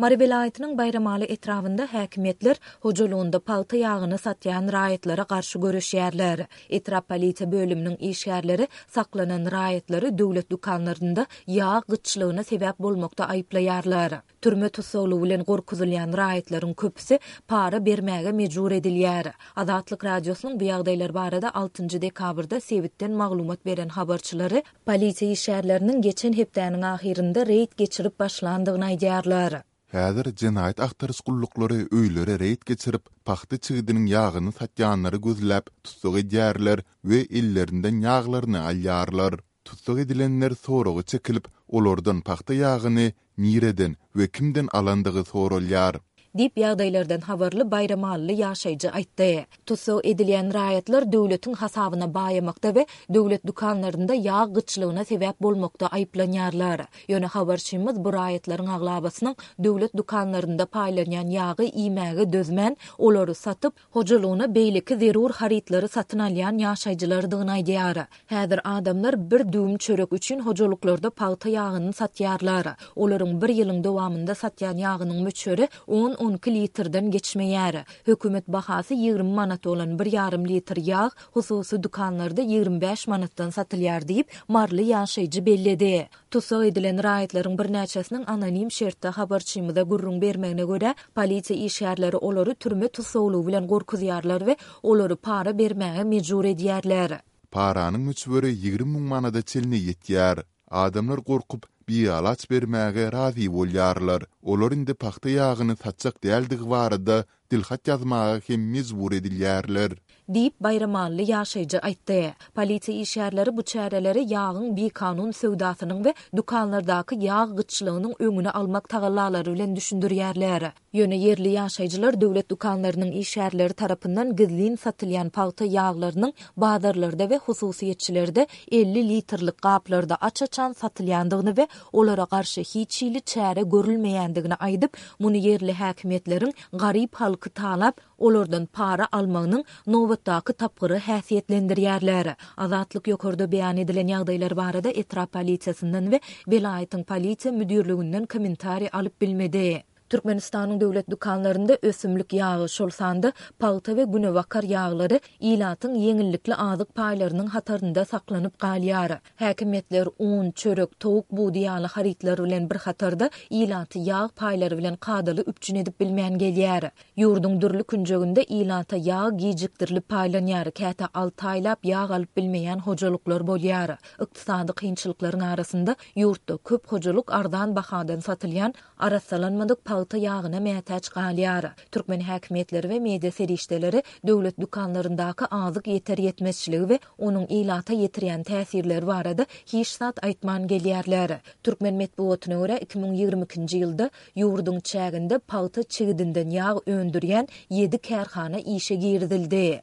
Mary welaýatynyň Baýramaly etrabynda häkimiýetler hojalygynda pagta ýagyny satýan raýatlara garşy göreşýärler. Etrap polisiýa bölüminiň işgärleri saklanan raýatlary döwlet dükanlarynda ýag gytçylygyna sebäp bolmakda aýyplaýarlar. Türme tussaglygy bilen gorkuzylýan raýatlaryň köpüsi para bermäge mejbur edilýär. Azatlyk Radiosynyň bu ýagdaýlar barada altynjy dekabrda sebitden maglumat beren habarçylary polisiýa işgärleriniň geçen hepdäniň ahyrynda reýd geçirip başlandygyny aýdýarlar. Häzir jenaýat agtaryş gulluklary öýlere reýd geçirip, pagta çigidiniň ýagyny satýanlary gözläp, tussag edýärler we ellerinden ýaglaryny alýarlar. Tussag edilenler soraga çekilip, olardan pagta ýagyny nireden we kimden alandygy soralýar. Diýip, ýagdaýlardan habarly baýramalyly ýaşaýjy aýtdy. Tussag edilýän raýatlar döwletiň hasabyna baýamakda we döwlet dükanlarynda ýag gytçylygyna sebäp bolmakda aýyplanýarlar. Ýöne habarçymyz bu raýatlaryň aglabasynyň döwlet dükanlarynda paýlanýan ýagy iýmäge dözmän, olary satyp, hojalygyna beýleki zerur harytlary satyn alýan ýaşaýjylardygyny aýdýar. Häzir adamlar bir düwüm çörek üçin hojalyklarda pagta ýagyny satýarlar. Olaryň bir ýylyň dowamynda satýan ýagynyň möçberi on-on iki litrden geçmeýär. Hökümet bahasy 20 manat bolan bir ýarym litr ýag hususy dükanlarda 25 manatdan satylýar diýip, maryly ýaşaýjy belledi. Tussag edilen raýatlaryň birnäçesiniň anonim şertde habarçymyza gürrüň bermegine görä, polisiýa işgärleri olary türme tussaglygy bilen gorkuzýarlar we olary para bermäge mejbur edýärler. Paranyň möçberi 20 müň manada çenli ýetýär. Adamlar gorkup, bialaç bermäge razy bolýarlar. Olar indi pagta ýagyny satjak däldigi barada dilhat ýazmaga hem mejbur edilýärler. Diýip, baýramally ýaşaýjy aýtdy. Polisiýa işgärleri bu çäreleri ýagyň bikanun söwdasynyň we dükanlardaky ýag gytçylygynyň öňüni almak tagallalary bilen düşündirýärler. Ýöne ýerli ýaşaýjylar döwlet dükanlarynyň işgärleri tarapyndan gizlin satylýan pagta ýaglarynyň bazarlarda we hususyýetçilerde 50 litrlik gaplarda aç-açan satylýandygyny we olara garşy hiç hili çäre görülmeýändigini aýdyp, muny ýerli häkimiýetleriň garyp halky talap, olardan para almagynyň nobatdaky tapgyry häsiýetlendirýärler. Azatlyk ýokarda beýan edilen ýagdaýlar barada etrap polisiýasyndan we welaýatyň polisiýa müdirliginden kommentariý alyp bilmedi. Türkmenistanyň döwlet dükanlarynda ösümlik ýagy, şol sanda pagta we günebakar ýaglary ilatyň ýeňillikli azyk paýlarynyň hatarynda saklanyp galýar. Häkimiýetler un, çörek, towuk budy ýaly harytlar bilen bir hatarda ilaty ýag paýlary bilen kadaly üpjün edip bilmän gelýär. Ýurduň dürli künjeginde ilata ýag gijikdirilip paýlanýar, käte alty aýlap ýag alyp bilmeýän hojalyklar bolýar. Ykdysady kynçylyklaryň arasynda ýurtda köp hojalyk arzan bahadan satylýan arassalanmadyk pagta ýagyna mätäç galýar. Türkmen häkimiýetleri we media serişdeleri döwlet dükanlaryndaky azyk ýeter-ýetmezçiligi we onuň ilata ýetirýän täsirleri barada hiç zat aýtman gelýärler. Türkmen metbugatyna görä, 2022-nji ýylda Ýurduň çäginde pagta çigidinden ýag öndürýän ýedi kärhana işe girizildi.